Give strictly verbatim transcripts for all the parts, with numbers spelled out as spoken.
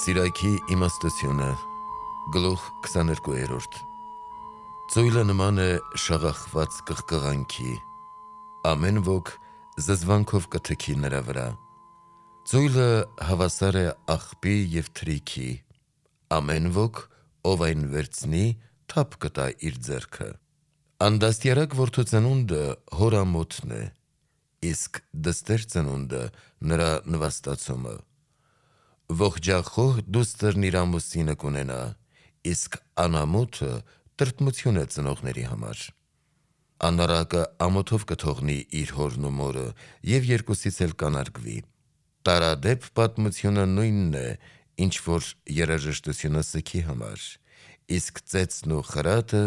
Սիրայքի իմաստությունը, գլուխ քսաներկուերորդ Ծույլը նման է շաղախված կղկղանքի, ամեն ոք զզվանքով կթքի նրա վրա։ Ծույլը հավասար է աղբի և թրիքի, ամեն ոք, ով այն վերցնի, թափ կտա իր ձեռքը։ Անդաստիարակ որդու ծնունդը հոր ամոթն է, իսկ դստեր ծնունդը նրա նվաստացումը։ Ողջախոհ դուստրն իր ամուսինը կունենա, իսկ անամոթը տրտմություն է ծնողների համար։ Անառակը ամոթով կթողնի իր հորն ու մորը և երկուսից էլ կանարգվի։ Տարադեպ պատմությունը նույնն է, ինչ որ երաժշտությունը սգի համար, իսկ ծեծն ու խրատը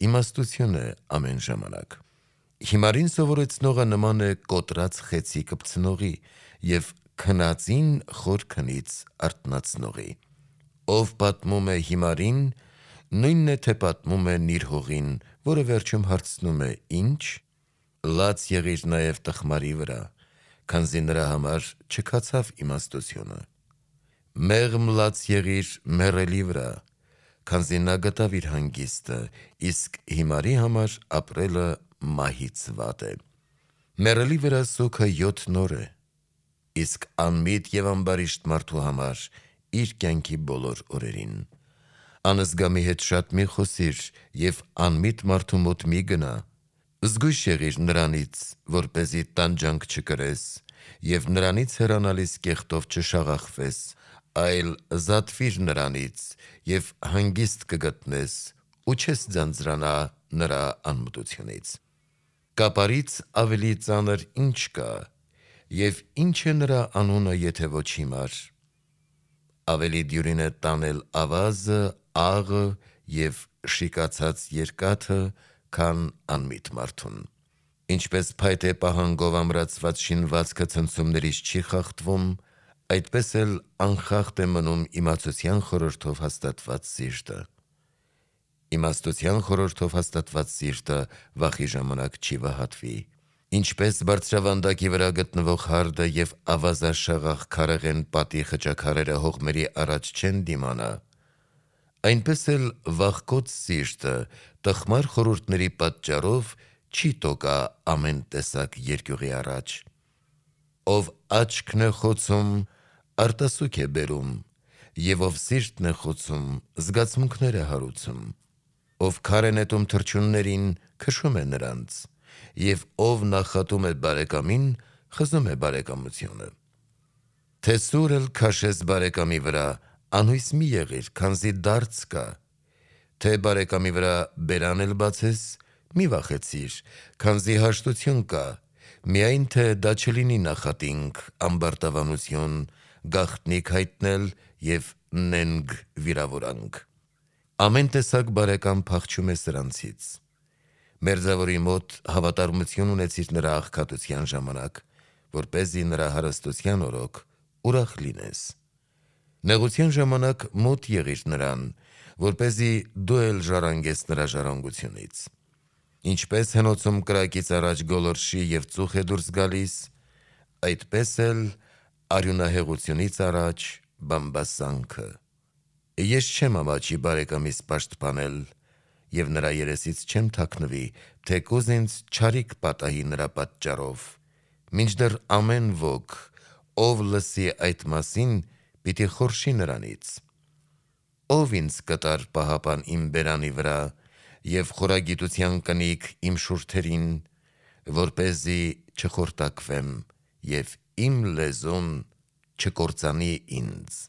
իմաստություն է ամեն ժամանակ։ Հիմարին սովորեցնողը նման է կոտրած խեցի կպցնողի և քնածին խոր քնից արթնացնողի։ Ով պատմում է հիմարին, նույնն է թե պատմում է նիրհողին, որը վերջում հարցնում է ի՞նչ, լաց եղիր նաև տխմարի վրա, քանզի նրա համար չքացավ իմաստությունը։ Մեղմ լաց եղիր մեռելի վրա, քանզի նա գտավ իր հանգիստը, իսկ հիմարի համար ապրելը մահից վատ է։ Մեռելի վրա սուգը յոթ նոր է, իսկ անմիտ և ամբարիշտ մարդու համար իր կյանքի բոլոր օրերին։ Անզգամի հետ շատ մի խոսիր և անմիտ մարդու մոտ մի գնա։ Զգույշ եղիր նրանից, որպեսզի տանջանք չկրես, և նրանից հեռանալիս կեղտով չշաղախվես, այլ զատվիր նրանից և հանգիստ կգտնես ու չես ձանձրանա նրա անմտությունից։ Կապարից ավելի ծանր ի՞նչ կա, և ի՞նչ է նրա անունը, եթե ոչ հիմար։ Ավելի դյուրին է տանել ավազը, աղը և շիկացած երկաթը, քան անմիտ մարդուն։ Ինչպես փայտե պահանգով ամրացված շինվածքը ցնցումներից չի խախտվում, այդպես էլ անխախտ է մնում իմացության խորհրդով հաստատված սիրտը։ Իմաստության խորհրդով հաստատված սիրտը վախի ժամանակ չի վհատվի։ Ինչպես բարձրավանդակի վրա գտնվող հարդը և ավազաշաղախ քարեղեն պատի խճաքարերը հողմերի առաջ չեն դիմանա, այնպես էլ վախկոտ սիրտը տխմար խորհուրդների պատճառով չի տոկա ամեն տեսակ երկյուղի առաջ։ Ով աչքն է խոցում, արտասուք է բերում, և ով սիրտն է խոցում, զգացմունքներ է հարուցում։ Ով քար է նետում թռչուններին, քշում է նրանց, և ով նախատում է բարեկամին, խզում է բարեկամությունը։ Թե սուր էլ քաշես բարեկամի վրա, անհույս մի եղիր, քանզի դարձ կա, թե բարեկամի վրա բերան էլ բացես, մի վախեցիր, քանզի հաշտություն կա, միայն թե դա չլինի նախատինք, ամբարտավանություն, գաղտնիք հայտնել և նենգ վիրավորանք։ Ամեն տեսակ բարեկամ փախչում է սրանցից։ Մերձավորի մոտ հավատարմություն ունեցիր նրա աղքատության ժամանակ, որպեսզի նրա հարստության օրոք ուրախ լինես։ Նեղության ժամանակ մոտ եղիր նրան, որպեսզի դու էլ ժառանգես նրա ժառանգությունից։ Ինչպես հնոցում կրակից առաջ գոլորշի և ծուխ է դուրս գալիս, այդպես էլ արյունահեղությունից առաջ բամբասանքը։ Ես չեմ ամաչի բարեկամիս պաշտպանել և նրա երեսից չեմ թաքնվի, թեկուզ ինձ չարիք պատահի նրա պատճառով, մինչդեռ ամեն ոք, ով լսի այդ մասին, պիտի խորշի նրանից։ Ո՞վ ինձ կտար պահապան իմ բերանի վրա և խորագիտության կնիկ իմ շուրթերին, որպեսզի չխորտակվեմ և իմ լեզուն չկործանի ինձ։